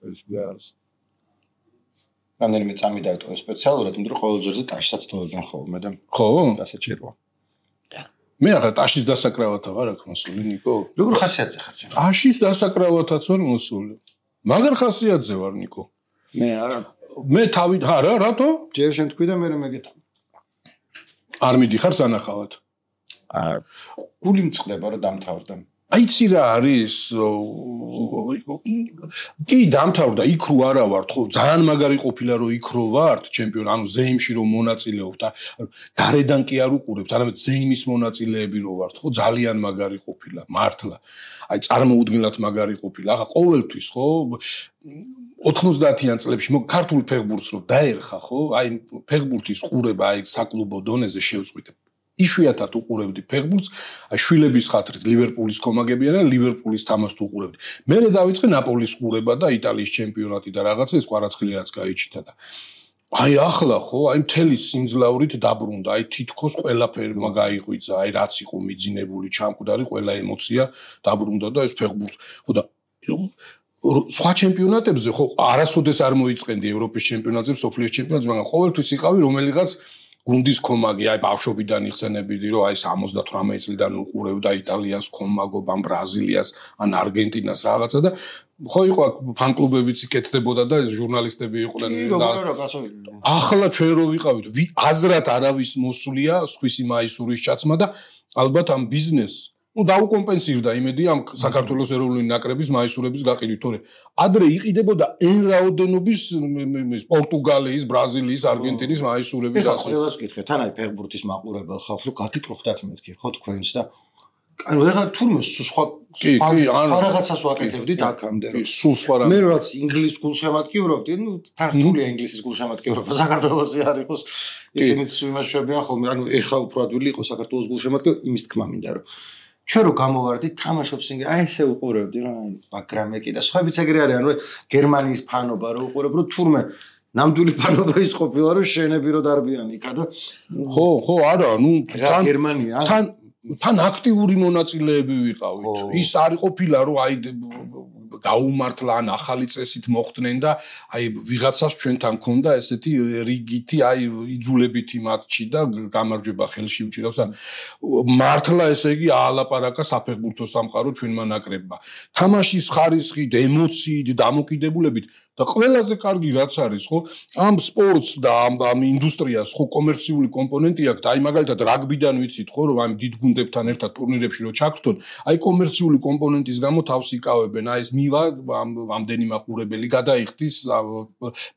ეს გას რამდენიმე წამი დავიტოვე სპეციალურად, იმიტომ რომ ყოველ ჯერზე ტაშსაც თოვებენ ხოლმე და ხო? დასაჭიროა. მე ახლა ტაშის დასაკრავათა ვარ აქ მოსული, ნიკო. როგორ ხასიათზე ხარ ჩემ? ტაშის დასაკრავათაც ვარ მოსული. მაგარ ხასიათზე ვარ, ნიკო. მე არა. მე თავი არა, რატო? ჯერ შენ თქვი და მე მეგეთა. არ მიდიხარ სანახავად. გული მწყდება რომ დამთავრდა. აიცი რა არის? კი დამთავრდა, იქ რო არა ვართ, ხო, ძალიან მაგარი ყოფილა რომ იქ რო ვართ, ჩემპიონი, ანუ ზეიმში რომ მონაწილეობ და გარედან კი არ უყურებთ, არამედ ზეიმის მონაწილეები რო ვართ, ხო, ძალიან მაგარი ყოფილა, მართლა. აი წარმოუდგენლად მაგარი ყოფილა. ახლა ყოველთვის, ხო, 90-იან წლებში ქართული ფეხბურთს რო დაერხა, ხო, აი ფეხბურთის ყურება აი საკლუბო დონეზე შევწყვიტე. იშვიათად უყურებდი ფეხბურთს, აი შვილების ხათრით ლივერპულის კომაგებია და ლივერპულის თამაშს უყურებდი. მერე დავიწყე ნაპოლის ყურება და იტალიის ჩემპიონატი და რაღაცა ეს ყვარაცხელი რაც გაიჩიტა და აი ახლა ხო, აი მთელი სიმძლავრით დაბრუნდა, აი თითქოს ყველაფერი გაიღვიძა, აი რაც იყო მიძინებული, ჩამკვდარი, ყველა ემოცია დაბრუნდა და ეს ფეხბურთი. ხო და სხვა ჩემპიონატებზე ხო არასოდეს არ მოიწყენდი ევროპის ჩემპიონატზე, სოფლიოს ჩემპიონატზე, მაგრამ ყოველთვის იყავი რომელიღაც გუნდის კომაგი, აი ბავშვობიდან იხსენებიდი, რომ აი 78 წლიდან უყურებდა იტალიას კომაგობ, ან ბრაზილიას, ან არგენტინას რაღაცა და ხო იყო აქ ფან-კლუბებიც იკეთდებოდა და ჟურნალისტები იყვნენ და ახლა ჩვენ რო ვიყავით, აზრად არავის მოსულია სხვისი მაისურის ჩაცმა და ალბათ ამ ბიზნესს დაუკომპენსირდა იმედი ამ საქართველოს ეროვნული ნაკრების მაისურების გაყიდვით, თორე ადრე იყიდებოდა n რაოდენობის პორტუგალიის, ბრაზილიის, არგენტინის მაისურები და ასე. ყველას ვკითხე, თან აი ფეხბურთის მაყურებელ ხალხს რომ გაგიტყობდათ მეთქი, ხო თქვენს და ანუ ეხლა თურმე სხვა რაღაცას ვაკეთებდით აქამდე რომ სულ სხვა რა. მე რაც ინგლისის გულშემატკივრობდი, ნუ თართულია ინგლისის გულშემატკივრობა საქართველოსი არ იყოს, ისინიც იმაშვებიან ხოლმე, ანუ ეხლა უფრო ადვილი იყო საქართველოს გულშემატკივრობა, იმის თქმა მინდა რომ ჩვენ რო გამოვარდით თამაშობს ინგლისში, აი ესე უყურებდი რა, ბაგრამეკი და სხვაებიც ეგრე არიან, რომ გერმანიის ფანობა რო უყურებ, რომ თურმე ნამდვილი ფანობა ის ყოფილა, რომ შენები რო დარბიან იქა და ხო, არა, ნუ გერმანია თან აქტიური მონაწილეები ვიყავით. ის არ ყოფილა, რომ აი გაუმართლა ან ახალი წესით მოხდნენ და აი ვიღაცას ჩვენთან ქონდა ესეთი რიგითი აი იძულებითი მატჩი და გამარჯვება ხელში უჭირავს და მართლა ესე იგი აალაპარაკა საფეხბურთო სამყარო ჩვენმა ნაკრებმა. თამაშის ხარისხით, ემოციით, დამოკიდებულებით და ყველაზე კარგი რაც არის, ხო, ამ სპორტს და ამ ინდუსტრიას ხო კომერციული კომპონენტი აქვს. აი მაგალითად რაგბიდან ვიცით, ხო, რომ ამ დიდ გუნდებთან ერთად ტურნირებში რო ჩაგრთონ, აი კომერციული კომპონენტის გამო თავს იკავებენ. აი ეს მივა ამდენი მაყურებელი გადაიხდის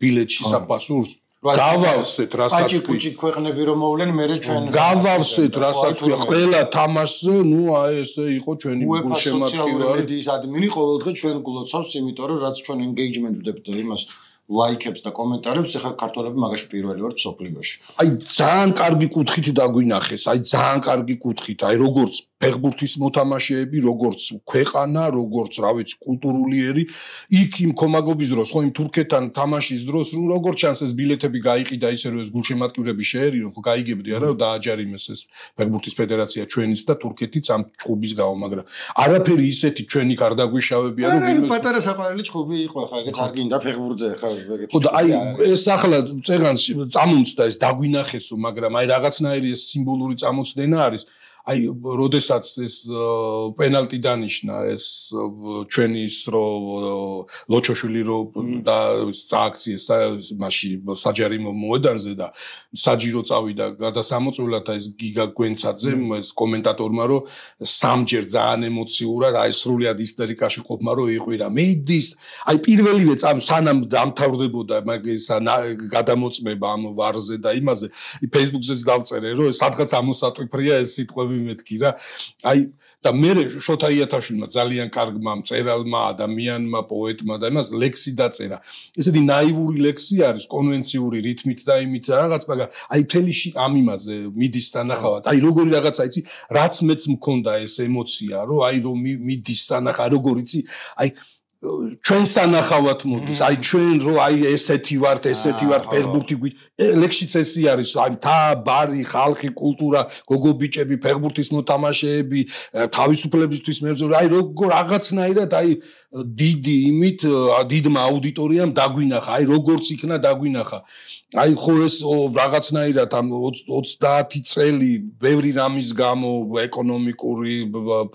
ბილეთში საფასურს. გავავსეთ რასაც კუჭი ქვეყნები რომ მოვლენ მე ჩვენ გავავსეთ რასაც ყველა თამაშზე ნუ აი ესე იყო ჩვენი გულშემატკივარი მედიის ადმინი ყოველდღე ჩვენ გულოცავს იმიტომ რომ რაც ჩვენ engagement ვდებთ და იმას ლაიქებს და კომენტარებს ახლა ქართველები მაგაში პირველი ვართ სოფლიოში. აი ძალიან კარგი კუთხით დაგვინახეს, აი ძალიან კარგი კუთხით, აი როგორც ფეხბურთის მოთამაშეები, როგორც ქვეყანა, როგორც რა ვიცი კულტურული ერი, იქ იმ კომაგობის დროს, ხო იმ თურქეთთან თამაშის დროს, როგორც ჩანს ეს ბილეთები გაიყიდა ისე რომ ეს გულშემატკივრები შეერიონ, ხო გაიგებდი არა რომ დააჯარიმეს ეს ფეხბურთის ფედერაცია ჩვენიც და თურქეთიც ამ ჭუბის გამო, მაგრამ არაფერი ისეთი ჩვენი არ დაგვიშავებია რომ ვინმე პატარა საყვარელი ჭუბი იყო ახლა ეგეც არ გინდა ფეხბურთზე ხა ხო და აი ეს ახლა წეღანს წამომწდა ეს დაგვინახესო, მაგრამ აი რაღაცნაირი ეს სიმბოლური წამოწდენა არის. აი, როდესაც ეს პენალტი დანიშნა, ეს ჩვენი ის რო ლოჩოშვილი რო და წააქციეს მასში საჯარიმო მოედანზე და საჯირო წავიდა გადასამოწმებლად და ეს გიგა გვენცაძემ ეს კომენტატორმა რომ სამჯერ ძალიან ემოციურად აი სრულად ისტერიკაში ყოფმა რომ იყვირა მედის აი პირველივე სანამ დამთავრდებოდა მაგის გადამოწმება ამ ვარზე და იმაზე Facebook-ზეც დავწერე რომ სადღაც ამოსატვიფრია ეს სიტყვები მეთქი რა აი და მე შოთა იათაშვილმა ძალიან კარგმა მწერალმა ადამიანმა პოეტმა და იმას ლექსი დაწერა ესეთი ნაივური ლექსი არის კონვენციური რითმით და იმით რაღაც მაგრამ აი თელიში ამ იმაზე მიდის სანახავად აი როგორი რაღაცა იცი რაც მეც მქონდა ეს ემოცია რომ აი რომ მიდის სანახა როგორ იცი აი ჩვენ სანახავად მოდის აი ჩვენ რო აი ესეთი ვართ ფეხბურთი ლექსიც ესე არის აი თა ბარი ხალხი კულტურა გოგობიჭები ფეხბურთის მოთამაშეები თავისუფლებისთვის მებრძოლი აი როგორ რაღაცნაირად აი დიდი იმით დიდმა აუდიტორიამ დაგვინახა, აი როგორც იქნა დაგვინახა. აი ხო ეს რაღაცნაირად ამ 30 წელი ბევრი რამის გამო ეკონომიკური,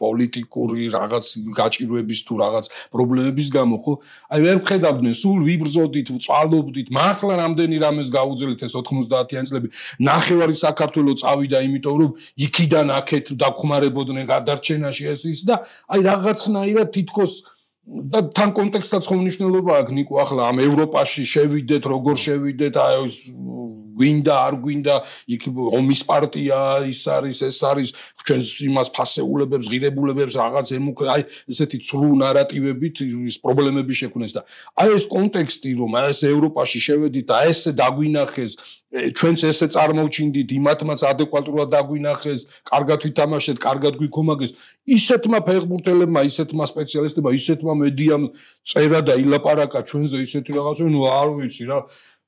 პოლიტიკური რაღაც გაჭირვების თუ რაღაც პრობლემების გამო ხო აი ვერ ვხედავდნენ სულ ვიბრძოდით, ვწვალობდით, მართლა რამდენი რამეს გაუძლეთ ეს 90-იანი წლები. ნახევარი საქართველო წავიდა, იმიტომ რომ იქიდან აქეთ დაგხმარებოდნენ გადარჩენაში ეს ის და აი რაღაცნაირად თითქოს და თან კონტექსტაც ხო მნიშვნელობა აქვს ნიკო ახლა ამ ევროპაში შევიდეთ როგორ შევიდეთ აი გვინდა არ გვინდა იქ ომის პარტია ის არის ეს არის ჩვენს იმას ფასეულებებს ღირებულებებს რაღაც აი ესეთი ცრუ ნარატივებით ის პრობლემები შექმნეს და აი ეს კონტექსტი რომ აი ეს ევროპაში შევედით და ესე დაგვინახეს ჩვენც ესე წარმოვჩინდით იმათმაც ადეკვატურად დაგვინახეს კარგად ვითამაშეთ კარგად გვიქომაგეს ისეთმა ფეხბურთელებმა ისეთმა სპეციალისტებმა ისეთმა მედიამ წერა და ილაპარაკა ჩვენზე ისეთი რაღაცა ნუ არ ვიცი რა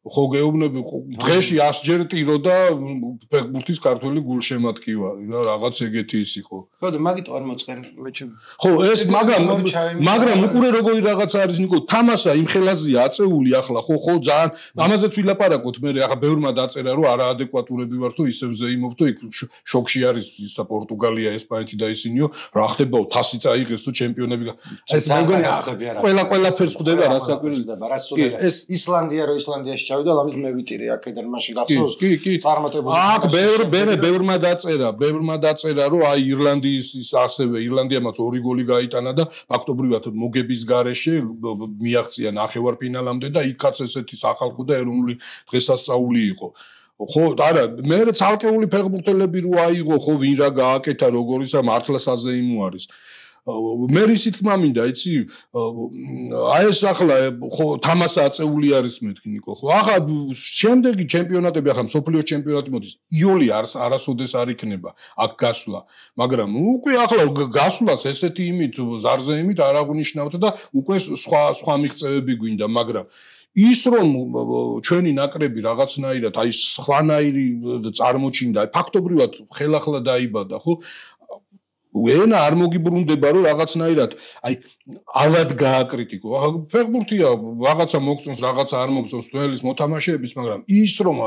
ხო გეუბნები დღეში 100 ჯერ ტირო და ფეხბურთის ქართველი გულშემატკივარი რა რაღაც ეგეთი ის იყო ხო და მაგით არ მოწყენ მეჩემ ხო ეს მაგრამ უყურე როგორი რაღაც არის ნიკო თამასა იმ ხელაზეა აწეული ახლა ხო ძალიან ამაზეც ვილაპარაკოთ მე ახლა ბევრმა დაწერა რომ არაადეკვატურები ვარ თუ ისევ ზეიმობ თუ იქ შოქში არის ისა პორტუგალია ესპანეთი და ისინიო რა ხდებაო თასი წაიღეს თუ ჩემპიონები ეს ყველაფერს ხვდება რასაკვირველია ეს ისლანდია რო ისლანდიაში ჩავიდა ამის მე ვიტირე აქედან მაშინ გახსოვს წარმატებული აქ ბევრმა დაწერა რომ აი ირლანდიის ასევე ირლანდიამაც 2 გოლი გაიტანა და ფაქტობრივად მოგების გარეშე მიაღწია ნახევარფინალამდე და იქაც ესეთი სახალხო და ეროვნული დღესასწაული იყო ხო არა მე ცალკეული ფეხბურთელები რო აიღო ხო ვინ რა გააკეთა როგორისა მართლა საზეიმო არის მე ისიც თქმა მინდა იცი აი ეს ახლა ხო თამასა აწეული არის მეთქი ნიკო ხო ახლა შემდეგი ჩემპიონატები ახლა მსოფლიოს ჩემპიონატი მოდის იოლი არასოდეს არ იქნება აქ გასვლა მაგრამ უკვე ახლა გასვლას ესეთი იმით ზარზე იმით არ აღნიშნავთ და უკვე სხვა მიღწევები გვინდა მაგრამ ის რომ ჩვენი ნაკრები რაღაცნაირად აი სხვანაირი წარმოჩინდა ფაქტობრივად ხელახლა დაიბადა ხო ენა არ მოგიბრუნდება რომ რაღაცნაირად აი ალად გააკრიტიკო ახლა ფეხბურთია რაღაცა მოგწონს რაღაცა არ მოგწონს თველის მოთამაშეების მაგრამ ის რომ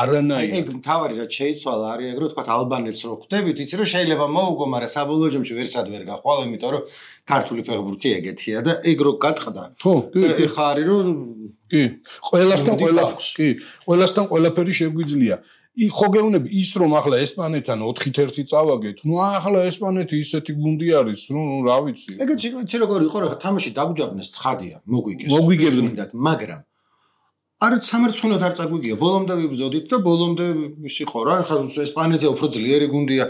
არანაირად ეგ მთავარი რაც შეიცვალა არის ეგ რომ თქვა ალბანეთს რო ხვდებით იცი რომ შეიძლება მოუგო მაგრამ საბოლოო ჯამში ვერსად ვერ გაყვალ იმიტომ რომ ქართული ფეხბურთი ეგეთია და ეგ რო გატყდა ხო ეხა არის რომ კი ყველასთან ყველაფერი შეგვიძლია ხო გეუბნები ის რომ ახლა ესპანეთთან 4-1 წავაგეთ ნუ ახლა ესპანეთი ისეთი გუნდი არის რომ რა ვიცი ეგეც როგორ იყო რა თამაში დაგვიჯაბნეს ცხადია მოგვიგებდათ მაგრამ არ სამარცხვინოდ არ წაგვიგია ბოლომდე ვიბრძოდით და ბოლომდე ისი ხო რა ხა ესპანეთი უფრო ძლიერი გუნდია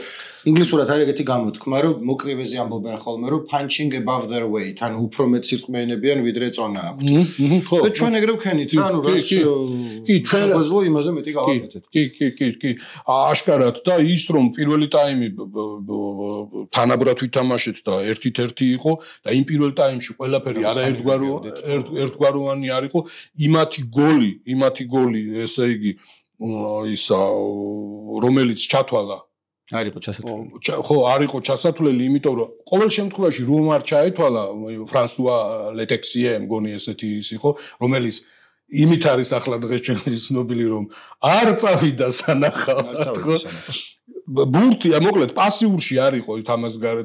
ინგლისურად არის ეგეთი გამოთქმა რომ მოკრივეზე ამბობენ ხოლმე რომ punching above their weight ანუ უფრო მეტ სირწყმეენებიან ვიდრე წონა აქვთ და ჩვენ ეგრე ვქენით რა ნუ რაც კი ჩვენ ბაზლო იმაზე მეტი გავაკეთეთ კი აშკარად და ის რომ პირველი ტაიმი თანაბრად ვითამაშეთ და 1-1 იყო და იმ პირველ ტაიმში ყველაფერი არაერთგვაროვანი არ იყო იმათი გოლი ესე იგი ისა რომელიც ჩათვალა არისო ჩასათვლელი ხო არისო ჩასათვლელი იმიტომ რომ ყოველ შემთხვევაში რომ არ ჩაეთვალა ფრანსუა ლეტექსიე მგონი ესეთი ის იყო რომელიც იმით არის ახლა დღეს ჩვენი ცნობილი რომ არ წავიდა სანახავად ხო ბურთი მოკლედ პასიურში არისო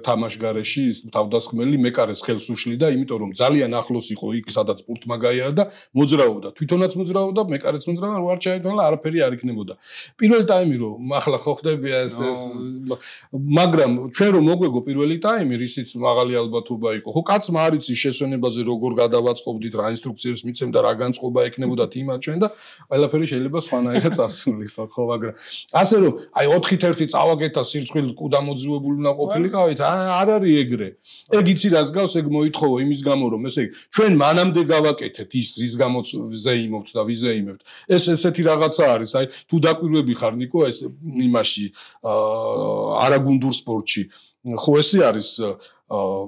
თამაშგარეში ის თავდასხმელი მეკარეს ხელს უშლიდა იმიტომ რომ ძალიან ახლოს იყო იქ სადაც ბურთმა გაიარა და მოძრაობდა თვითონაც მოძრაობდა მეკარეც მოძრაობდა რო არ ჩაეთვალა არაფერი არ იქნებოდა პირველი ტაიმი რომ ახლა ხო ხდება ეს მაგრამ ჩვენ რომ მოგვეგო პირველი ტაიმი რისიც მაღალი ალბათობა იყო ხო კაცმა არ იცის შესვენებაზე როგორ გადავაწყობდით რა ინსტრუქციებს მიცემ და რა განწყობა ექნებოდა თიმა ჩვენ და ყველაფერი შეიძლება სხვანაირად წასულიყო ხო მაგრამ ასე რომ აი 4-1 წავაგეთა სირცხვილი კუდამოძივებული უნდა ყოფილიყავით არ არის ეგრე ეგ იცი რას გავს ეგ მოითხოვო იმის გამო რომ ესე ჩვენ მანამდე გავაკეთეთ ის რის გამოც ზეიმობთ და ვიზეიმებთ ეს ესეთი რაღაცა არის აი თუ დაკვირვები ხარ ნიკო ეს იმაში არაგუნდურ სპორტში ხო ესე არის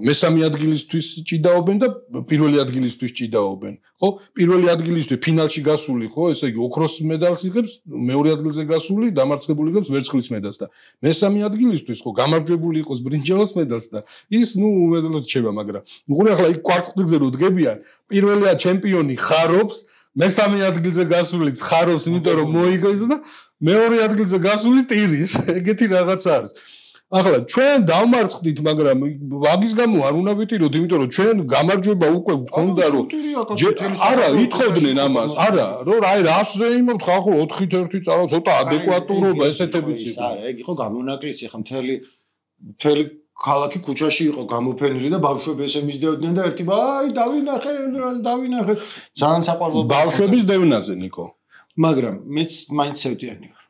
მესამე ადგილისთვის ჭიდაობენ და პირველი ადგილისთვის ჭიდაობენ. ხო? პირველი ადგილისთვის ფინალში გასული, ხო, ესე იგი ოქროს მედალს იღებს, მეორე ადგილზე გასული დამარცხებული იღებს ვერცხლის მედალს და მესამე ადგილისთვის, ხო, გამარჯვებული იყოს ბრინჯაოს მედალს და ის, უმეტოდ რჩება, მაგრამ უყურე ახლა იქ კვარცხლბილზე რო დგებიან, პირველია ჩემპიონი ხარობს, მესამე ადგილზე გასულიც ხარობს, იმიტომ რომ მოიგოს და მეორე ადგილზე გასული ტირის. ეგეთი რაღაცა არის. ახლა ჩვენ დავმარცხდით, მაგრამ ვაგის გამო არ უნდა ვიტიროთ, იმიტომ რომ ჩვენ გამარჯვება უკვე გქონდა, რომ არა, ითხოვდნენ ამას, არა, რომ აი რასზე იმობთ ხალხო 4-1 წავა, ცოტა ადეკვატურობა ესეთებიც იყო. არა, ეგ იყო გამონაკლისი, ხა მთელი ქალაქი ქუჩაში იყო გამოფენილი და ბავშვები ესე მისდევდნენ და ერთი აი დავინახე, ძალიან საყვარლო ბავშვების დევნაზე, ნიკო. მაგრამ მეც მაინც ცევდიანი ვარ.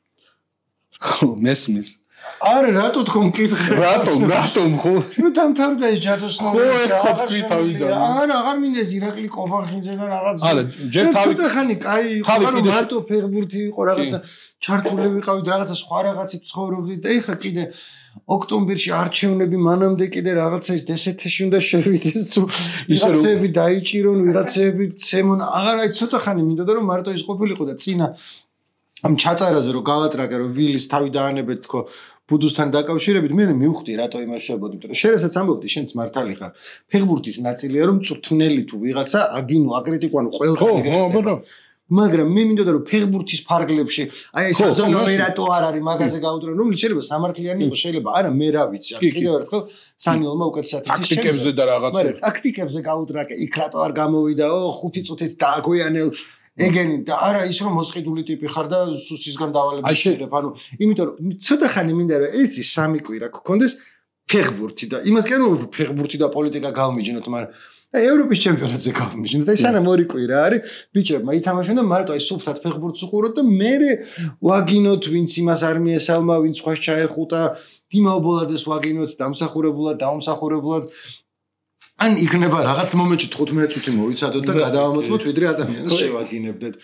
ხო, მესმის. არა, რატო თქო მკითხე? რატომ ხო? ნუ დამთავრდა ეს ჯადოსნური. ხო, ერთხელ თქვი თავიდან. არა, აღარ მინდა ირაკლი კობახიძე და რაღაც. არა, ჯერ თავი ცოტა ხანი კაი იყო, მარტო ფეხბურთი იყო, რაღაცა ჩართული ვიყავით, რაღაცა სხვა რაღაცით ცხოვრობდით და ეხა კიდე ოქტომბერში არჩევნები მანამდე კიდე რაღაცა დსთ-ში უნდა შევიდეს თუ ვიღაცები დაიჭირონ, ვიღაცები ცემონ. აღარ აი ცოტა ხანი მინდოდა რომ მარტო ის ყოფილიყო და წინა ამ ჩაწერაზე რომ გავატრაკე რომ ვილის თავი დაანებეთ თქო ბუდუსთან დაკავშირებით მე მივხვდი რატო იმაშობოდი იმიტომ რომ შენ რასაც ამბობდი შენც მართალი ხარ ფეხბურთის ნაწილია რომ წვრთნელი თუ ვიღაცა აგინო აკრიტიკوانო ყველგან მაგრამ მე მინდოდა რომ ფეხბურთის ფარგლებში აი ეს ზონური რატო არ არის მაგაზე გაუტრენ რომელიც შეიძლება სამართლიანი იყოს შეიძლება არა მე რა ვიცი კიდევ ერთხელ სანიოლმა უკეთესად იცის ტაქტიკებზე და რაღაცა მაგრამ ტაქტიკებზე გაუტრაკე იქ რატო არ გამოვიდაო 5 წუთით დააგვიანელ ეგენი და არა ის რომ მოსყიდული ტიპი ხარ და სუსისგან დავალებით შეიძლება ანუ იმიტომ რომ ცოტა ხანი მინდა რომ ეს სამი კვირა გქონდეს ფეხბურთი და იმას კი არა ფეხბურთი და პოლიტიკა გავმიჯნოთ მაგრამ ევროპის ჩემპიონატზე გავმიჯნოთ აი სანამ ორი კვირა არის ბიჭებმა ითამაშონ და მარტო აი სუფთად ფეხბურთს უყუროთ და მე ვაგინოთ ვინც იმას არ მიესალმა ვინც ხვას ჩაეხუტა დიმაობოლაძეს ვაგინოთ დამსახურებულად დაუმსახურებულად ან იქნება რაღაც მომენტში 15 წუთი მოვიცადოთ და გადავამოწმოთ ვიდრე ადამიანს შევაგინებდეთ.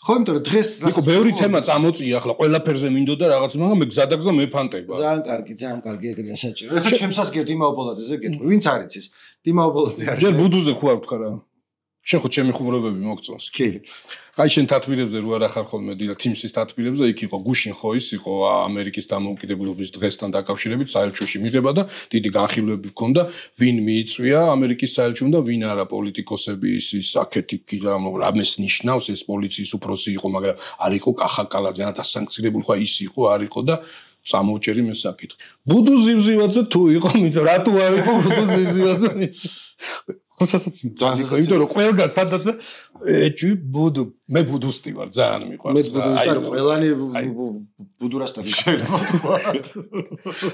ხო, იმიტომ რომ დღეს ნიკო ბევრი თემა წამოწია ახლა ყველაფერზე მინდოდა რაღაც მაგრამ მე გზადაგზა მეფანტება. ძალიან კარგი ეგრეა საჭირო. ეხლა ჩემსაც გიო დიმაობოლაძეზე გეტყვი, ვინც არ იცის? დიმაობოლაძე არის. ჯერ ბუდუზე ხო არ ვთქარა. შენ ხო ჩემი ხუმრობები მოგწონს. კი. აი შენ თათბირებზე რო არ ახარ ხოლმე დილა თიმსის თათბირებზე იქ იყო გუშინ ხო ის იყო ამერიკის დამოუკიდებლობის დღესთან დაკავშირებით საელჩოში მიღება და დიდი განხილვები ჰქონდა ვინ მიიწვია ამერიკის საელჩომ და ვინ არა პოლიტიკოსები ის აქეთი რამეს ნიშნავს ეს პოლიციის უფროსი იყო მაგრამ არ იყო კახაკალაძე ან დასანქცირებული ხო ის იყო არ იყო და წამოვჭერი მე საკითხი ბუდუ ზივზივაძე თუ იყო მიწა რატო არ იყო ბუდუ ზივზივაძე ხოსასაც ძალიან იმიტომ რომ ყველგან სადაც ეჭვი ბუდუ მე ბუდუსტი ვარ ძალიან მიყვარს მე ბუდუსტი ვარ ყველანი ბუდურასტები შეიძლება თქვა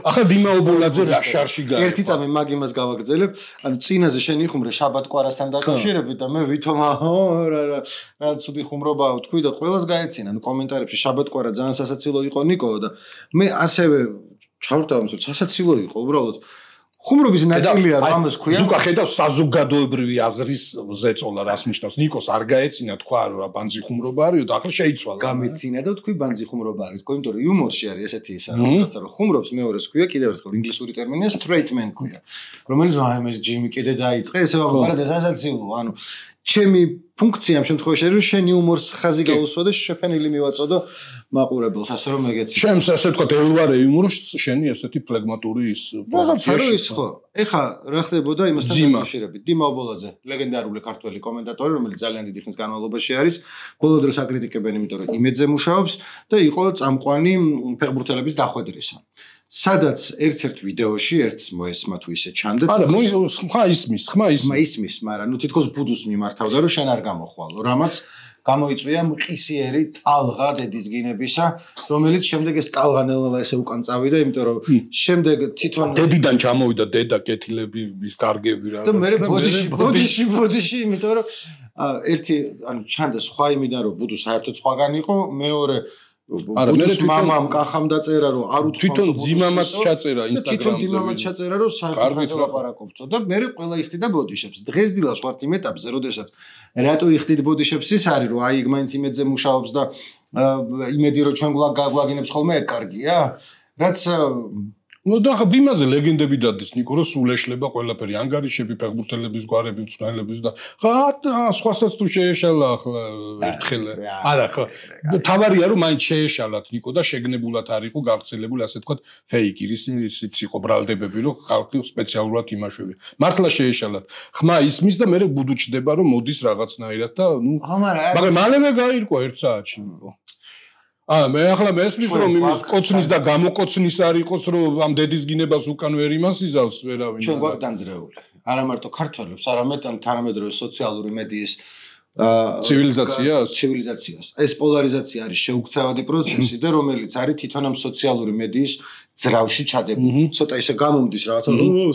ახლა დიმაობოლაძე რა შარში გაიგო ერთი წამი მაგ იმას გავაგრძელებ ანუ წინაზე შენ იხუმრე შაბათ-კვარასთან დაკავშირებით და მე ვითომა რა ცუდი ხუმრობაა თქვი და ყველას გაეცინა ანუ კომენტარებში შაბათ-კვარა ძალიან სასაცილო იყო ნიკო და მე ასევე ჩავრთავ რომ სასაცილო იყო უბრალოდ ხუმრობის ნაწილია რომ ამას ქვია. ზუკა ხედავს საზოგადოებრივი აზრის ზეწოლა რას ნიშნავს. ნიკოს არ გაეცინა თქვა რომ ბანძი ხუმრობა არისო და ახლა შეიცვალა. გამეცინა და თქვი ბანძი ხუმრობა არის. თქო იმიტომ რომ იუმორში არის ესეთი ის არა რაღაცა რომ ხუმრობს მეორეს ქვია კიდევ ერთხელ ინგლისური ტერმინია straight man ქვია. რომელიც აი მე ჯიმი კიდე დაიწყე ესე ვაღებარად ესაცილო ანუ ჩემი ფუნქცია ამ შემთხვევაში არის რომ შენ იუმორს ხაზი გაუსვა და შეფენილი მივაწოდო მაყურებელს ასე რომ ეგეც შენს ასე თქვა ელვარე იუმორს შენი ესეთი ფლეგმატური ის პოზიცია ის ხო ეხა რა ხდებოდა იმასთან დაკავშირებით დიმაობოლაძე ლეგენდარული ქართველი კომენტატორი რომელიც ძალიან დიდი ხნის განმავლობაში არის ბოლო დროს აკრიტიკებენ იმიტომ რომ იმედზე მუშაობს და იყო წამყვანი ფეხბურთელების დახვედრისა სადაც ერთ-ერთ ვიდეოში ერთს მოესმა თუ ისე ჩანდეთ არა ხმა ისმის მაგრამ ნუ თითქოს ბუდუს მიმართავდა რომ შენ არ გამოხვალო რამაც გამოიწვია მყისიერი ტალღა დედისგინებისა რომელიც შემდეგ ეს ტალღა ნელ-ნელა ესე უკან წავიდა იმიტომ რომ შემდეგ თვითონ დედიდან ჩამოვიდა დედა კეთილები ის კარგები რა და მე ბოდიში იმიტომ რომ ერთი ანუ ჩანდა სხვა იმიდან რომ ბუდუ საერთოდ სხვაგან იყო მეორე ბუდუს მამამ კახამ დაწერა რომ არ უთქვამს თვითონ ძიმამაც ჩაწერა ინსტაგრამზე თვითონ ძიმამაც ჩაწერა რომ საერთოდ ლაპარაკობთო და მე ყველა იხდიდა ბოდიშებს დღეს დილას ვართ იმ ეტაპზე როდესაც რატო იხდით ბოდიშებს ის არის რომ აი იქ მაინც იმედზე მუშაობს და იმედი რომ ჩვენ გვაგინებს ხოლმე ეგ კარგია რაც და ხა იმაზე ლეგენდები დადის ნიკო რომ სულ ეშლება ყველაფერი ანგარიშები ფეხბურთელების გვარები მწვრთნელების და ხა სხვასაც თუ შეეშალა ახლა ერთხელ არა ხო თავარია რომ მაინც შეეშალათ ნიკო და შეგნებულად არ იყო გავრცელებული ასე თქვა ფეიკი ისიც იყო ბრალდებები რომ ხალხი სპეციალურად იმაშვები მართლა შეეშალათ ხმა ისმის და მე ბუდუჩდება რომ მოდის რაღაცნაირად და ნუ მაგრამ მალევე გაირკვა 1 საათში ნიკო მე ახლა მესმის რომ იმის კოცნის და გამოკოცნის არ იყოს რომ ამ დედის გინებას უკან ვერ იმასიზავს ვერავინ ჩვენ გვაქვს დამძრეული არა მარტო ქართველებს არამედ თანამედროვე სოციალური მედიის ცივილიზაციას ეს პოლარიზაცია არის შეუქცევადი პროცესი და რომელიც არის თვითონ ამ სოციალური მედიის ძრავში ჩადებული ცოტა ისე გამომდის რაღაცა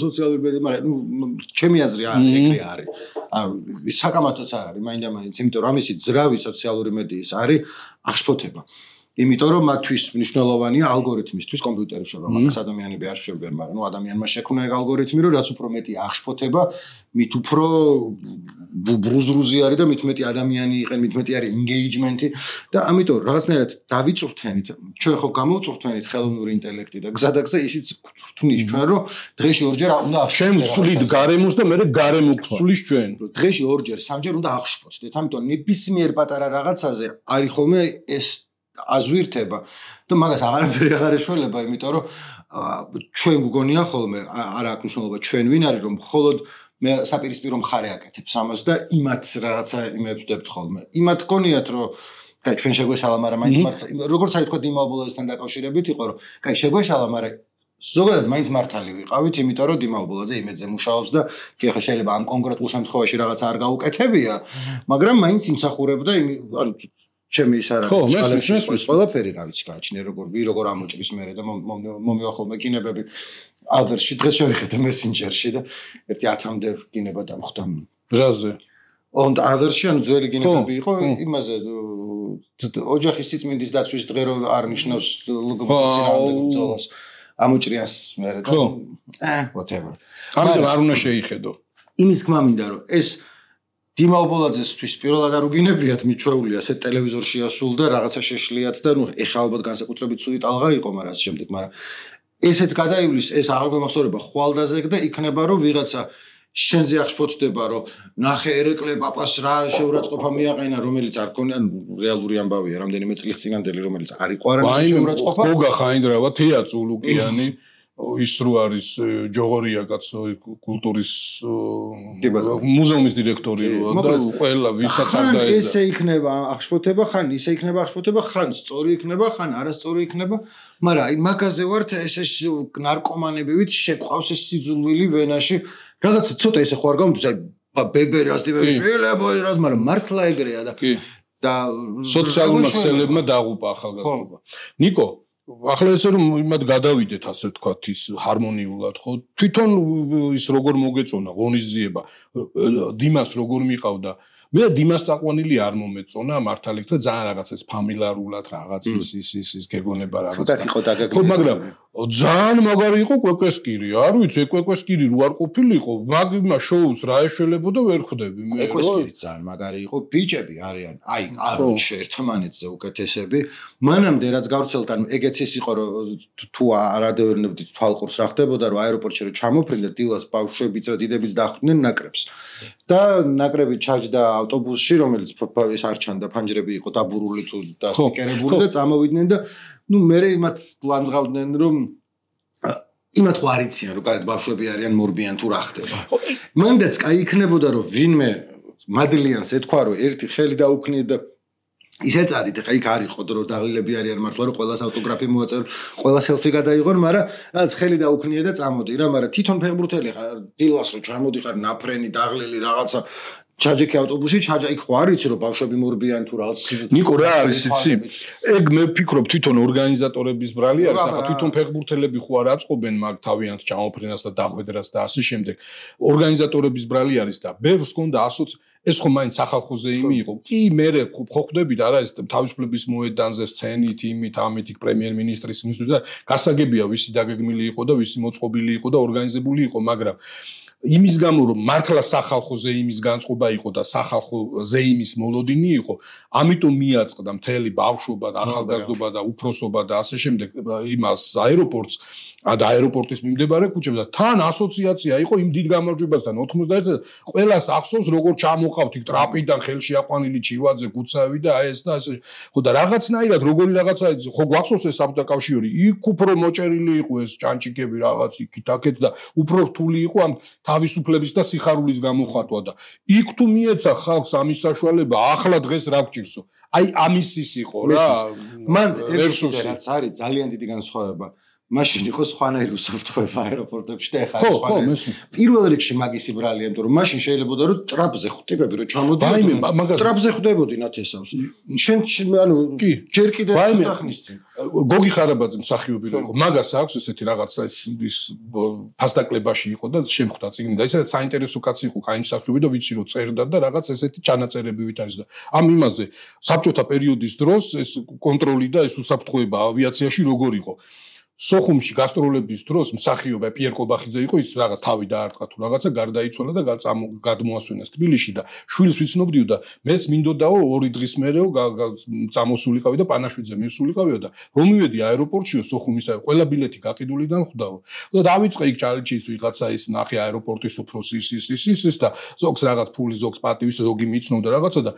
სოციალური მედია მაგრამ ჩემი აზრი ეგრე არის საკამათოც არ არის მაინდა-მაინც იმიტომ რომ ამისი ძრავი სოციალური მედიის არის აღშფოთება იმიტომ რომ მათთვის მნიშვნელოვანია ალგორითმისთვის კომპიუტერი შევა მაგას ადამიანები არ შვებიან მაგრამ ნუ ადამიანმა შექმნა ეგ ალგორითმი რომ რაც უფრო მეტი აღშფოთება მით უფრო ბრუზრუზი არის და მით მეტი ადამიანი იყენ მით მეტი არის ინგეიჯმენტი და ამიტომ რაღაცნაირად დავიწურთენით ჩვენ ხო გამოვწურთენით ხელოვნური ინტელექტი და გზადაგზა ისიც გვწურთნის ჩვენ რომ დღეში ორჯერ უნდა შემცვლით გარემოს და მე გარემო გვცვლის ჩვენ დღეში ორჯერ სამჯერ უნდა აღშფოთდეთ ამიტომ ნებისმიერ პატარა რაღაცაზე არის ხოლმე ეს აზვირთება და მაგას აღარ ეშველება იმიტომ რომ ჩვენ გგონია ხოლმე არა აქვს მნიშვნელობა ჩვენ ვინ არის რომ მხოლოდ მე საპირისპირო მხარე აკეთებს ამას და იმათ რაღაცა იმებს ვდებთ ხოლმე იმათ გგონიათ რომ კაი ჩვენ შეგვეშალა მაგრამ მაინც მართლა როგორც აი თქვა დიმალბოლაძესთან დაკავშირებით იყო რომ კაი შეგვეშალა მაგრამ ზოგადად მაინც მართალი ვიყავით იმიტომ რომ დიმალბოლაძე იმედზე მუშაობს და კი ახლა შეიძლება ამ კონკრეტულ შემთხვევაში რაღაცა არ გაუკეთებია მაგრამ მაინც იმსახურებდა ანუ ჩემი ის არა ყველაფერი რა ვიცი გააჩნია როგორ ამოჭრის მერე და მომივა ხოლმე კინებები ადერში დღეს შევიხედე მესენჯერში და ერთი 10-მდე კინება დამხვდა რაზე und ადერში ანუ ძველი კინებები იყო იმაზე ოჯახის სიწმინდის დაცვის დღე რო არ ნიშნავს ლგბ-ს ამოჭრიას მერე და whatever ამიტომ არ უნდა შეიხედო იმის თქმა მინდა რომ ეს დიმალბოლაძესთვის პირველად არ უგინებიათ მიჩვეული ასე ტელევიზორში ასულ და რაღაცა შეშლიათ და ნუ ეხლა ალბათ განსაკუთრებით ცუდი ტალღა იყო მაგრამ ასე შემდეგ მაგრამ ესეც გადაივლის ეს აღარ გვემახსოვრება ხვალდაზე და იქნება რომ ვიღაცა შენზე აღშფოთდება რომ ნახე ერეკლე პაპას რა შეურაცხყოფა მიაყენა რომელიც არ ქონია რეალური ამბავია რამდენიმე წლის წინანდელი რომელიც არ იყო არამედ შეურაცხყოფა გოგა ხაინდრავა თეა წულუკიანი ის რო არის ჯოღორია კაცო კულტურის მუზეუმის დირექტორი და ყველა ვისაც არ დაეძა ესე იქნება აღშფოთება ხან ისე იქნება აღშფოთება ხან სწორი იქნება ხან არასწორი იქნება მაგრამ აი მაგაზე ვართ ესე ნარკომანებივით შეყვავს ეს სიძულვილი ვენაში რაღაც ცოტა ესე ხო არ გამდის აი ბებერას შეიძლება რას მაგრამ მართლა ეგრეა და სოციალურმა ქსელებმა დაღუპა ახალგაზრდობა ნიკო ახლა ესე რომ იმათ გადავიდეთ ასე ვთქვათ ის ჰარმონიულად ხო თვითონ ის როგორ მოგეწონა ღონისძიება დიმას როგორ მიყავდა მე დიმას წაყვანილი არ მომეწონა მართალი გითხრა ძალიან რაღაც ეს ფამილარულად რაღაც ის გეგონება რაღაც ცოტა იყო დაგაგრილი ხო მაგრამ ძალიან მაგარი იყო კვეკვესკირი არ ვიცი კვეკვესკირი რო არ ყოფილიყო მაგმა შოუს რა ეშველებოდა ვერ ხვდები მე კვეკვესკირი ძალიან მაგარი იყო ბიჭები არიან აი არჩ ერთმანეთზე უკეთესები მანამდე რაც გავრცელდა ანუ ეგეც ის იყო რომ თუ არადევნებდით თვალყურს რა ხდებოდა რომ აეროპორტში რომ ჩამოფრინდა დილას ბავშვებიც და დიდებიც დახვდნენ ნაკრებს და ნაკრები ჩაჯდა ავტობუსში რომელიც ის არ ჩანდა ფანჯრები იყო დაბურული თუ დასტიკერებული და წამოვიდნენ და ნუ მე იმათ ლანძღავდნენ რომ იმათ ხო არ იციან რომ გარეთ ბავშვები არიან მორბიან თუ რა ხდება მანდაც კაი იქნებოდა რომ ვინმე მადლიანს ეთქვა რომ ერთი ხელი დაუქნიეთ და ისე წადით ხა იქ არის ხოდრო დაღლილები არიან მართლა რომ ყველას ავტოგრაფი მოაწერ ყველა სელფი გადაიღონ მაგრამ რაც ხელი დაუქნიე და წამოდი რა მაგრამ თვითონ ფეხბურთელი ხარ დილას რომ ჩამოდიხარ ნაფრენი დაღლილი რაღაცა ჩაჯექი ავტობუსში ჩაჯა იქ ხო არ იცი რომ ბავშვები მორბიან თუ რაღაც ნიკო რა არის იცი ეგ მე ვფიქრობ თვითონ ორგანიზატორების ბრალი არის ახლა თვითონ ფეხბურთელები ხო არ აწყობენ მაგ თავიანთ ჩამოფრინას და დახვედრას და ასე შემდეგ ორგანიზატორების ბრალი არის და ბევრს გონდა ეს ხო მაინც სახალხოზე იმი იყო კი მე ხო ხვდებით არა ეს თავისუფლების მოედანზე სცენით იმით ამით პრემიერ-მინისტრის მისთვის და გასაგებია ვისი დაგეგმილი იყო და ვისი მოწყობილი იყო და ორგანიზებული იყო მაგრამ იმის გამო რომ მართლა სახალხო ზეიმის განწყობა იყო და სახალხო ზეიმის მოლოდინი იყო, ამიტომ მიაწყდა მთელი ბავშვობა და ახალგაზრდობა და უფროსობა და ასე შემდეგ იმას აეროპორტს და აეროპორტის მიმდებარე ქუჩებს და თან ასოციაცია იყო იმ დიდ გამარჯვებასთან 91-ზე ყველას ახსოვს როგორ ჩამოყავთ იქ ტრაპიდან ხელში აყვანილი ჩივაძე გუცავი და ეს და ასე ხო და რაღაცნაირად როგორი რაღაცა ხო გვახსოვს ეს საბჭოთა კავშირი იქ უფრო მოჭერილი იყო ეს ჭანჭიკები რაღაც იქით აქეთ და უფრო რთული იყო ამ თავისუფლების და სიხარულის გამოხატვა და იქ თუ მიეცა ხალხს ამის საშუალება ახლა დღეს რა გჭირსო აი ამის ის იყო რა მან ერთსუსი რაც არის ძალიან დიდი განსხვავება მაშინ იყო სხვანაირი უსაფრთხოება აეროპორტებში და ეხლა სხვანაირი. პირველ რიგში მაგისი ბრალია, იმიტომ რომ მაშინ შეიძლება რომ ტრაპზე ხვდებები რომ ჩამოდიოდნენ. ტრაპზე ხვდებოდნენ ათესავს. შენ ანუ ჯერ კიდე ხახნის წინ. გოგი ხარაბაძე მსახიობი რო იყო. მაგას აქვს ესეთი რაღაცა ის ფასდაკლებაში იყო და შემხვდა წიგნი და ისედაც საინტერესო კაცი იყო, კაი მსახიობი და ვიცი რომ წერდა და რაღაც ესეთი ჩანაწერები ვით არის და ამ იმაზე საბჭოთა პერიოდის დროს ეს კონტროლი და ეს უსაფრთხოება ავიაციაში როგორ იყო. სოხუმში გასტროლების დროს მსახიობი პიერ კობახიძე იყო ის რაღაც თავი დაარტყა თუ რაღაცა გარდაიცვალა და გადმოასვენეს თბილისში და შვილს ვიცნობდიო და მეც მინდოდაო 2 დღის მერეო წამოსულიყავი და პანაშვიძე მივსულიყავიო და რომ მივედი აეროპორტშიო სოხუმისა ყველა ბილეთი გაყიდულიდან ხვდაო და დავიწყე იქ ჩალენჯის ვიღაცა ის ნახე აეროპორტის უფროსი ის და ზოგს რაღაც ფული ზოგს პატივის ზოგი მიცნობდა რაღაცა და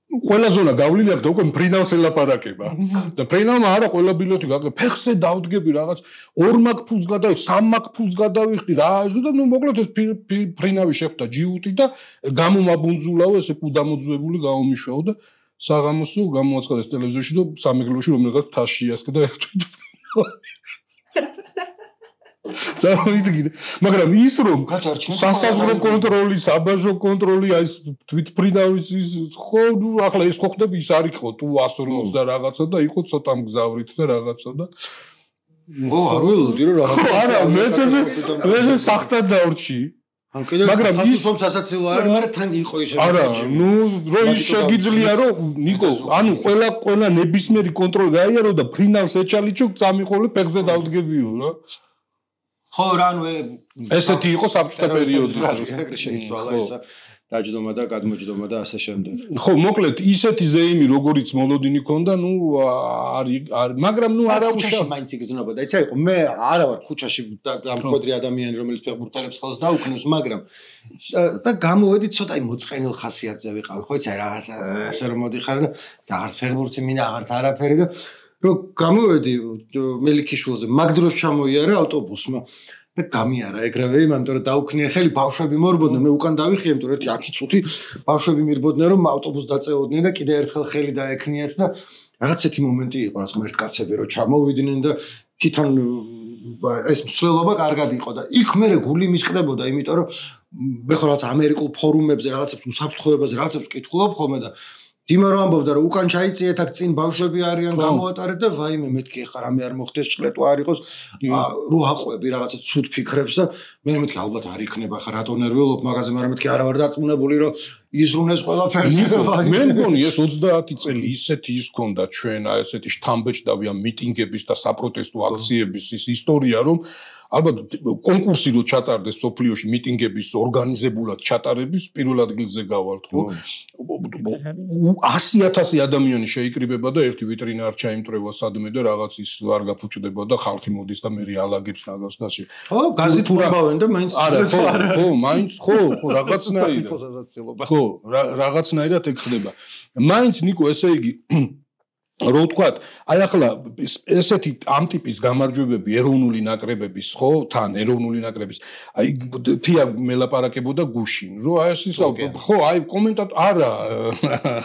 ყველა ზონა გავლილი აქვს და უკვე მფრინავს ელაპარაკება და მფრინავმა არა ყველა ბილეთი გაყიდე ფეხზე დავდგები რაღაც 2 მაგ ფულს გადავიხდი 3 მაგ ფულს გადავიხდი რა ისო და ნუ მოკლედ ეს მფრინავი შეხვდა ჯიუტი და გამომაბუნძულაო ესე კუდამოძვებული გამომიშვაო და საღამოსო გამოაცხადეს ტელევიზორში რომ სამეგრელოში რომელიღაც თასში იასკდა წავიდგინე მაგრამ ის რომ სასაზღვრო კონტროლი, საბაჟო კონტროლი, აი თვითმფრინავის ის ხო ნუ ახლა ეს ხო ხდები ის არ იყო თუ 140 და რაღაცა და იყო ცოტა მგზავრით და რაღაცა და ო არ ველოდი რომ რაღაცა არა მეც ეს სახთან დავრჩი მაგრამ ის რომ სასაცილო არის მაგრამ თან იყო ის არა ნუ რო ის შეგიძლია რომ ნიკო ანუ ყველა ნებისმიერი კონტროლი გაიარო და ფრინავს ეჩალიჩო წამიყოლე ფეხზე დავდგებიო რა ხო რანუ ესეთი იყო საბჭოთა პერიოდი ეგრე შეიცვალა ისა დაჯდომა და გადმოჯდომა და ასე შემდეგ ხო მოკლედ ისეთი ზეიმი როგორიც მოლოდინი ქონდა ნუ არ მაგრამ ნუ არა ქუჩაში მაინც იგრძნობოდა იცი იყო მე არა ვარ ქუჩაში და მკვდრი ადამიანი რომელიც ფეხბურთელებს ხელს დაუქნევს მაგრამ და გამოვედი ცოტა მოწყენილ ხასიათზე ვიყავი ხო იცი რა ასე რომ მოდიხარ და აღარც ფეხბურთი მინდა აღარც არაფერი და რომ გამოვედი მელიქიშვილზე მაგ დროს ჩამოიარა ავტობუსმა და გამიარა ეგრევე იმიტომ რომ დაუქნია ხელი ბავშვები მორბოდნენ მე უკან დავიხიე იმიტომ რომ 10 წუთი ბავშვები მირბოდნენ რომ ავტობუსს დაწეოდნენ და კიდე ერთხელ ხელი დაექნიათ და რაღაც ერთი მომენტი იყო რაც ღმერთკაცები რომ ჩამოვიდნენ და თვითონ ეს მსვლელობა კარგად იყო და იქ მე გული მისყდებოდა იმიტომ რომ მე ხო რაღაც ამერიკულ ფორუმებზე რაღაცებს უსაფრთხოებაზე რაღაცებს ვკითხულობ ხოლმე და დიმა რომ ამბობდა რომ უკან ჩაიწიეთ აქ წინ ბავშვები არიან გამოატარეთ და ვაიმე მეთქი ახლა რამე არ მოხდეს ჭყლეტვა არ იყოს რო აყვები რაღაცა ცუდ ფიქრებს და მე მეთქი ალბათ არ იქნება ახლა რატო ნერვიულობ მაგაზე მაგრამ მეთქი არა ვარ დარწმუნებული რომ იზრუნეს ყველაფერს მე მგონი ეს 30 წელი ისეთი ის ქონდა ჩვენ აი ესეთი შთამბეჭდავი ამ მიტინგების და საპროტესტო აქციების ის ისტორია რომ ალბათ კონკურსი რო ჩატარდეს სოფლიოში მიტინგების ორგანიზებულად ჩატარების პირველ ადგილზე გავალთ ხო 100,000 ადამიანი შეიკრიბება და ერთი ვიტრინა არ ჩაიმტრევა სადმე და რაღაც ის არ გაფუჭდება და ხალხი მოდის და მე რეალაგებს ნაგავს დაში ხო გაზით მოვავენ და მაინც არა ხო მაინც ხო რაღაცნაირად ხო რაღაცნაირად ეგ ხდება მაინც ნიკო ესე იგი რო ვთქვათ, აი ახლა ესეთი ამ ტიპის გამარჯვებები ეროვნული ნაკრებების, ხო, თან ეროვნული ნაკრების, აი თია მელაპარაკებოდა გუშინ, რომ აი ეს ის ხო, აი კომენტატორ არა,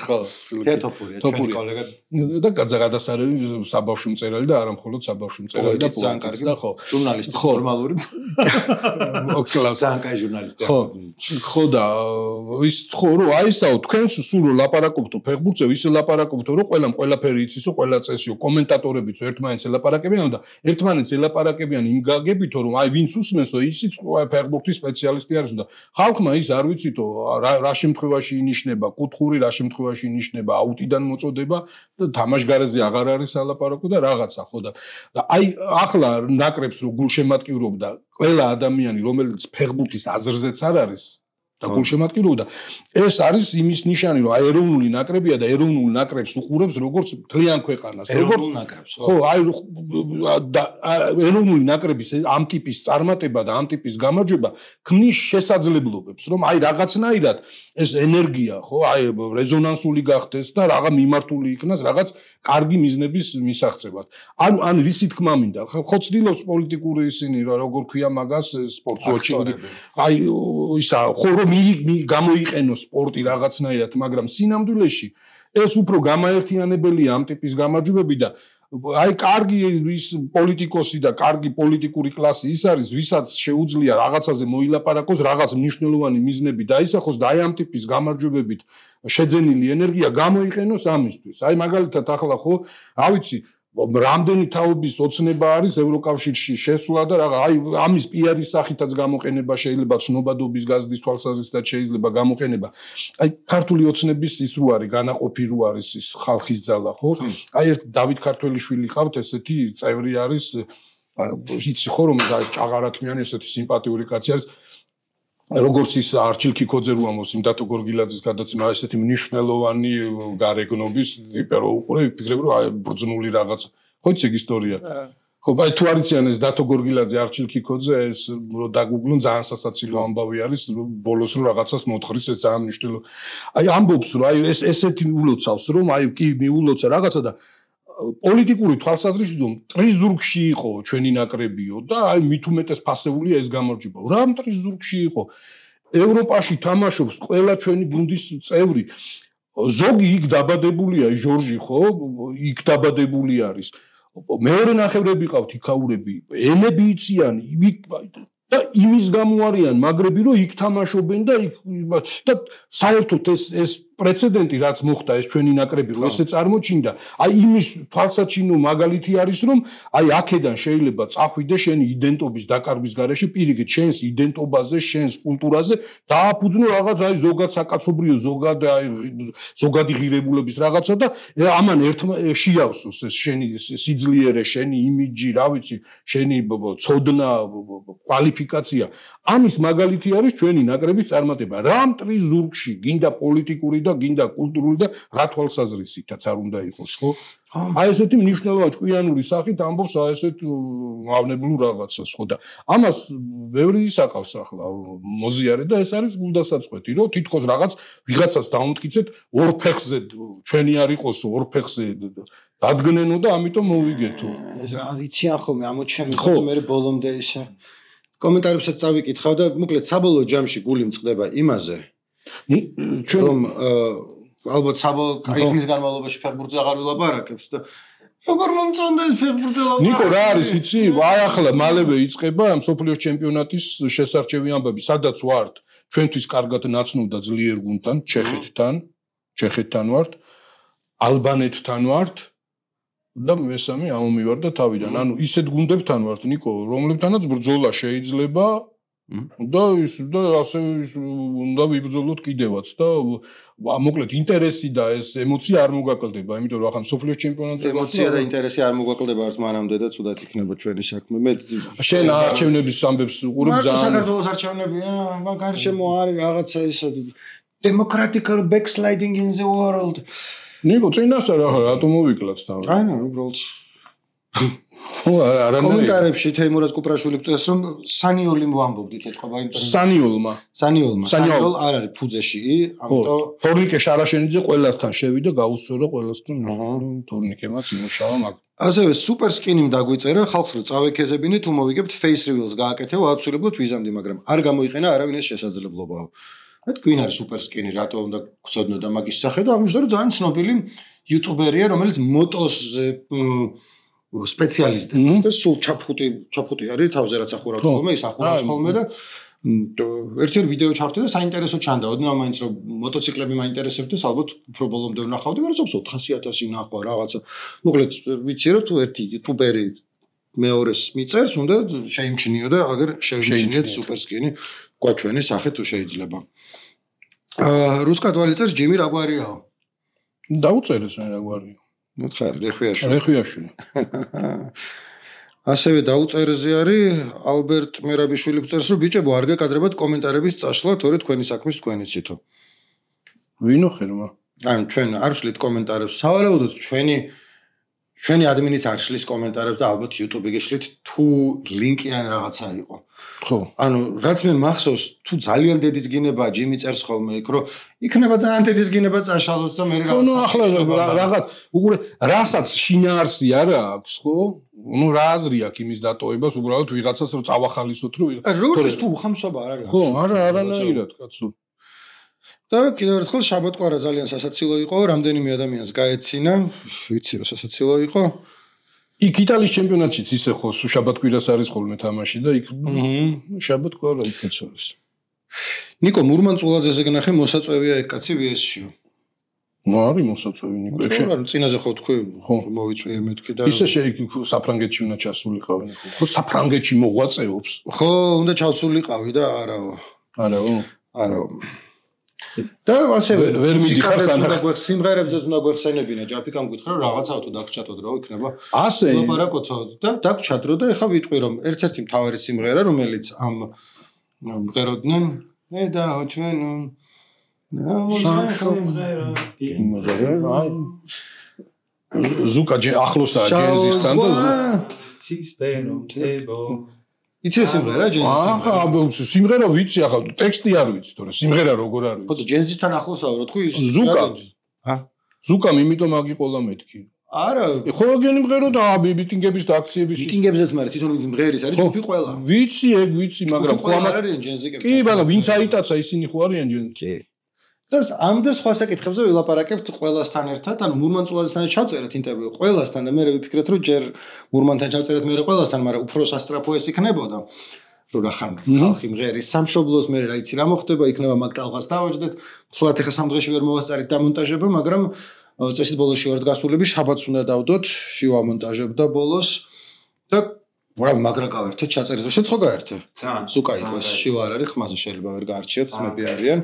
ხო, თეთოფურია, ჩვენი კოლეგაც და გადასარევი საბავშვო მწერალი და არა მხოლოდ საბავშვო მწერალი და პოეტი და ხო, ჟურნალისტი ნორმალური. ოქსლავს ძალიან კაი ჟურნალისტი. ხო და ის ხო, რომ აი ესაო თქვენს სულ ლაპარაკობთო ფეხბურთზე, ისე ლაპარაკობთო, რომ ყველაფერი იცისო, ყველა წესიო, კომენტატორებიც ერთმანეთს ელაპარაკებიან და ერთმანეთს ელაპარაკებიან იმ გაგებითო, რომ აი ვინც უსმენსო, ისიც ფეხბურთის სპეციალისტი არის და ხალხმა ის არ ვიცითო, რა შემთხვევაში ინიშნება, კუთხური რა შემთხვევაში ინიშნება, აუტიდან მოწოდება და თამაშგარეზე აღარ არის ალაპარაკო და რაღაცა, ხო და აი ახლა ნაკრებს რო გულშემატკივრობდა ყველა ადამიანი, რომელიც ფეხბურთის აზრზეც არ არის და გულშემატკივრობდა, ეს არის იმის ნიშანი, რომ აი ეროვნული ნაკრებია და ეროვნულ ნაკრებს უყურებს როგორც მთლიან ქვეყანას, როგორც ნაკრებს, ხო, აი ეროვნული ნაკრების ამ ტიპის წარმატება და ამ ტიპის გამარჯვება ქმნის შესაძლებლობებს, რომ აი რაღაცნაირად ეს ენერგია, ხო, აი რეზონანსული გახდეს და რაღა მიმართული იქნას რაღაც კარგი მიზნების მისაღწევად. ან რისი თქმა მინდა, ხო ცდილობს პოლიტიკური ისინი, როგორ ქვია მაგას სპორტსოჩი, აი ისა, ხო რომ გამოიყენოს სპორტი რაღაცნაირად, მაგრამ სინამდვილეში ეს უფრო გამაერთიანებელია ამ ტიპის გამარჯვებები და აი კარგი ის პოლიტიკოსი და კარგი პოლიტიკური კლასი ის არის, ვისაც შეუძლია რაღაცაზე მოილაპარაკოს, რაღაც მნიშვნელოვანი მიზნები დაისახოს და აი ამ ტიპის გამარჯვებებით შეძენილი ენერგია გამოიყენოს ამისთვის. აი მაგალითად ახლა ხო, რა ვიცი, რამდენი თაობის ოცნება არის ევროკავშირში შესვლა და რაღა აი ამის პიარის სახითაც გამოყენება შეიძლება, ცნობადობის გაზრდის თვალსაზრისითაც შეიძლება გამოყენება. აი ქართული ოცნების ის რო არის, განაყოფი რო არის ის ხალხის ძალა, ხო? აი ერთ დავით ქართველიშვილი ყავთ, ესეთი წევრი არის, იცი ხო რომ ჭაღარათმიანი ესეთი სიმპათიური კაცი არის. როგორც ის არჩილ ქიქოძე რო ამბობს იმ დათო გორგილაძის გადაცემა, ესეთი მნიშვნელოვანი გარეგნობის ტიპი რო უყურე, ვფიქრებ რომ აი ბრძნული რაღაც. ხო იცი ეგ ისტორია. ხო, აი თუ არიციან ეს დათო გორგილაძე, არჩილ ქიქოძე, ეს რო დაგუგლონ ძალიან სასაცილო ამბავი არის, რომ ბოლოს რო რაღაცას მოთხრის, ეს ძალიან მნიშვნელოვანი. აი ამბობს რომ აი ესეთი ულოცავს რომ აი კი მიულოცა რაღაცა და პოლიტიკური თვალსაზრისით მტრის ზურგში იყო ჩვენი ნაკრებიო და აი მით უმეტეს ფასეულია ეს გამარჯვება. რა მტრის ზურგში იყო? ევროპაში თამაშობს ყველა ჩვენი გუნდის წევრი. ზოგი იქ დაბადებულია, ჟორჟი ხო? იქ დაბადებული არის. მეორე ნახევრები ყავთ იქაურები, ენები იციან, და იმის გამო არიან მაგრები, რომ იქ თამაშობენ და საერთოდ ეს პრეცედენტი რაც მოხდა ეს ჩვენი ნაკრები რომ ესე წარმოჩინდა, აი იმის თვალსაჩინო მაგალითი არის რომ აი აქედან შეიძლება წახვიდე შენი იდენტობის დაკარგვის გარეშე პირიქით შენს იდენტობაზე, შენს კულტურაზე დააფუძნო რაღაც აი ზოგად საკაცობრიო, ზოგადი ღირებულების რაღაცა და ამან შეავსოს ეს შენი სიძლიერე, შენი იმიჯი, რა ვიცი, შენი ცოდნა, კვალიფიკაცია. ამის მაგალითი არის ჩვენი ნაკრების წარმატება. რა მტრის ზურგში გინდა პოლიტიკური და გინდა კულტურული და რა თვალსაზრისითაც არ უნდა იყოს, ხო? აი ესეთი მნიშვნელოვანი ჭკვიანური სახით ამბობს აი ესეთ მავნებლურ რაღაცას, ხო და ამას ბევრი ისაყავს ახლა მოზიარე და ეს არის გულდასაწყვეტი, რომ თითქოს რაღაც ვიღაცას დაუმტკიცეთ ორ ფეხზე ჩვენი არ იყოსო, ორ ფეხზე დადგნენო და ამიტომ მოვიგეთო. ეს რა იციან ხოლმე ამოჩემი ხო მე ბოლომდე ისა კომენტარებსაც წავიკითხავ და მოკლედ საბოლოო ჯამში გული მწყდება იმაზე რომ ალბათ იქნის განმავლობაში ფეხბურთზე აღარ ვილაპარაკებს და როგორ მომწონდა ეს ფეხბურთზე ლაპარაკი. ნიკო რა არის იცი? აი ახლა მალევე იწყება მსოფლიოს ჩემპიონატის შესარჩევი ამბები, სადაც ვართ ჩვენთვის კარგად ნაცნობ და ძლიერ გუნდთან, ჩეხეთთან ვართ, ალბანეთთან ვართ და მესამე ამომივარ და თავიდან. ანუ ისეთ გუნდებთან ვართ, ნიკო, რომლებთანაც ბრძოლა შეიძლება და ასე უნდა ვიბრძოლოთ კიდევაც და მოკლედ ინტერესი და ეს ემოცია არ მოგაკლდება, იმიტომ რომ ახლა სოფლიოს ჩემპიონატზე ემოცია და ინტერესი არ მოგაკლდება არც მანამდე და ცუდად იქნება ჩვენი საქმე. მე შენ არჩევნების ამბებს უყურებ ძალიან. საქართველოს არჩევნებია, მაგ გარშემო არის რაღაცა ისე democratical backsliding in the world. ნიკო, წინასწარ რატომ მოვიკლათ თავი? აი ნუ უბრალოდ კომენტარებში თეიმურაზ კუპრაშვილი გწევს რომ სანიოლი ვამბობდით ეთქობა ინტერვიუ. სანიოლ არ არის ფუძეში, ამიტომ თორნიკე შარაშენიძე ყველასთან შევიდა, გაუსწორა ყველასთან. თორნიკემაც იმუშავა მაგ. ასევე სუპერ სკინიმ დაგვიწერა, ხალხს რო წავექეზებინე თუ მოვიგებთ face reveals გააკეთე, აუცილებლად ვიზამდი, მაგრამ არ გამოიყენა არავინ ეს შესაძლებლობაა. მე თქვენ არის სუპერ სკინი, რატო უნდა გწოდნოდა მაგის სახე და აღმოჩნდა რომ ძალიან ცნობილი იუტუბერია, რომელიც მოტოს სპეციალისტია და სულ ჩაფხუტი არის თავზე რაც ახურავთ ხოლმე, ის ახურავს ხოლმე და ერთი ვიდეო ჩავთვლი და საინტერესო ჩანდა. ოდნავ მაინც რომ მოტოციკლები მაინტერესებდეს, ალბათ უფრო ბოლომდე ვნახავდი, მაგრამ ზოგს 400,000 ნახვა რაღაცა. მოკლედ ვიცი რომ თუ ერთი იუტუბერი მეორეს მიწერს, უნდა შეიმჩნიო და აგერ შევიმჩნიეთ სუპერსკინი გვაჩვენი სახე თუ შეიძლება. რუსკად ვალიწერს ჯიმი რაგვარიაო. დაუწერეს რა რაგვარია. მოთხარ რეხვიაშვილი. რეხვიაშვილი. ასევე დაუწერეზე არის ალბერტ მერაბიშვილი გვწერს რომ ბიჭებო არ გეკადრებათ კომენტარების წაშლა თორე თქვენი საქმის თქვენი ცითო. ვინო ხერმა? ანუ ჩვენ არ ვშლით კომენტარებს. სავარაუდოდ ჩვენი ადმინიც არ შლის კომენტარებს და ალბათ YouTube-ი გეშლით თუ ლინკი ან რაღაცა იყო. ხო. ანუ რაც მე მახსოვს თუ ძალიან დედის გინება ჯიმი წერს ხოლმე იქ რომ იქნება ძალიან დედის გინება წაშალოს და მე რაღაცა. ხო, ახლა რაღაც უყურე რასაც შინაარსი არა აქვს, ხო? ნუ რა აზრი აქვს იმის დატოვებას, უბრალოდ ვიღაცას რომ წავახალისოთ რომ როგორც თუ უხამსობა არ არის. ხო, არანაირად კაცო. და კიდევ ერთხელ შაბათკვარა ძალიან სასაცილო იყო, რამდენიმე ადამიანს გაეცინა, ვიცი რომ სასაცილო იყო. იქ იტალიის ჩემპიონატშიც ისე ხო, შაბათკვირას არის ხოლმე თამაში და იქ შაბათკვარა იქაც არის. ნიკო მურმანწულაძეზე გნახე მოსაწვევია ეგ კაცი VS-შიო. ნუ არის მოსაწვევი ნიკო. ხო, წინაზე ხო თქვი, მოვიწვიე მეთქი და ისე საფრანგეთში უნდა ჩასულიყავი. ხო, საფრანგეთში მოღვაწეობს. ხო, უნდა ჩავსულიყავი და არაო. არაო. და ასევე ვერ მიდიხარ სანახ სიმღერებზე უნდა გვეხსენებინა ჯაფიკამ გითხრა რომ რაღაცა თუ დაგჭატოდ რა იქნება ასე ლაპარაკოთო და დაგჭადრო და ეხა ვიტყვი რომ ერთ-ერთი მთავარი სიმღერა რომელიც ამ მღეროდნენ მე და ჩვენ ზუკა ახლოსაა ჯენზისთან და იცი სიმღერა ჯენზის ახლა სიმღერა ვიცი ახლა ტექსტი არ ვიცი თორე სიმღერა როგორ არის ხო ჯენზისთან ახლოსაა რა თქვი ზუკამ იმიტომ აგიყოლა მეთქი არა ხო გენი მღერო და მიტინგების და აქციების მიტინგებზეც მაგრამ თვითონ ვინც მღერის არის ჯგუფი ყველა ვიცი ეგ ვიცი მაგრამ ხო არიან ჯენზიკები კი მაგრამ ვინც აიტაცა ისინი ხო არიან ჯენზიკები და ამ და სხვა საკითხებზე ვილაპარაკებთ ყველასთან ერთად, ანუ მურმანწულაძესთან ჩავწერეთ ინტერვიუ ყველასთან და მე ვიფიქრეთ რომ ჯერ მურმანთან ჩავწერეთ მე ყველასთან, მაგრამ უფრო სასწრაფო ეს იქნებოდა. რომ რახან ხალხი მღერის სამშობლოს მე რაიცი რა მოხდება, იქნება მაგ ტალღას დავაჯდეთ. სულად ახლა სამ დღეში ვერ მოვასწარით დამონტაჟება, მაგრამ წესით ბოლოში ვართ გასულები, შაბათს უნდა დავდოთ, შევამონტაჟებდა ბოლოს და რა მაგრა გავერთეთ, ჩაწერეთ, შეცხო გაერთე. ზუკა იყო ეს შივა არ არის, ხმაზე შეიძლება ვერ გაარჩიოთ, ძმები არიან.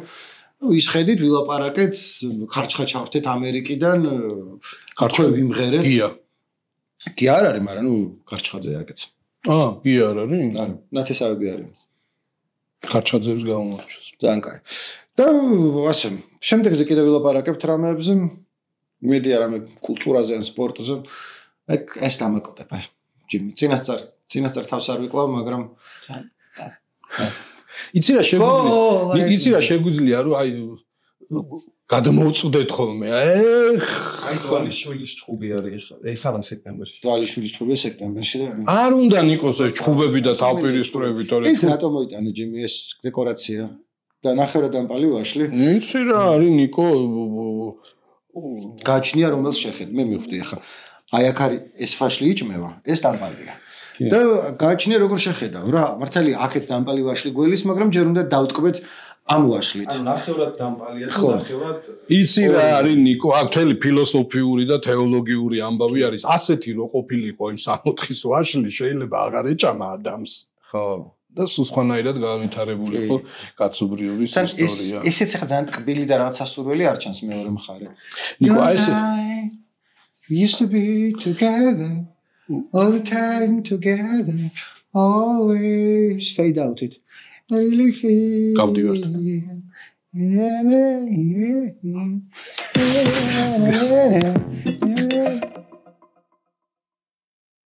ისხედით ვილაპარაკეთ ქარჩხა ჩავთეთ ამერიკიდან ქარჩხები ვიმღერეთ კი არ არის მაგრამ ნუ ქარჩხაძე აკეც კი არ არის არა ნათესავები არის ქარჩხაძეებს გამომარჩოს ძალიან კაი და ასე შემდეგზე კიდევ ვილაპარაკებთ რამეებზე იმედი არა მე კულტურაზე ან სპორტზე ეს დამაკლდება ჯიმი წინასწარ თავს არ ვიკლავ მაგრამ იცი რა შეგვიძლია რომ აი გადმოვწუდეთ ხოლმე აი თვალიშვილის ჭუბი არის ეს ამ სექტემბერში თვალიშვილის ჭუბი სექტემბერში და არ უნდა ნიკოს ეს ჭუბები და თავპირისპირები თორე ეს რატომ მოიტანე ჯიმი ეს დეკორაცია და ნახევრად ამპალი ვაშლი იცი რა არის ნიკო გაჩნია რომელს შეხედ მე მივხვდი ახლა აი აქ არის ეს ფაშლი იჭმევა ეს დამპალია და გააჩნია როგორ შეხედავ რა მართალია აქეთ დამპალი ვაშლი გველის მაგრამ ჯერ უნდა დავტყბეთ ამ ვაშლით ანუ ნახევრად დამპალია და ნახევრად იცი რა არის ნიკო აქ მთელი ფილოსოფიური და თეოლოგიური ამბავი არის ასეთი რო ყოფილიყო იმ 64-ის ვაშლი შეიძლება აღარ ეჭამა ადამიანს ხო და სულ სხვანაირად განვითარებულიყო კაცობრიობის ისტორია ესეც ახლა ძალიან ტყბილი და რაღაც სასურველი არ ჩანს მეორე მხარე ნიკო აი ესეთ we used to be together all the time together always fade out it I really feel გავდივართ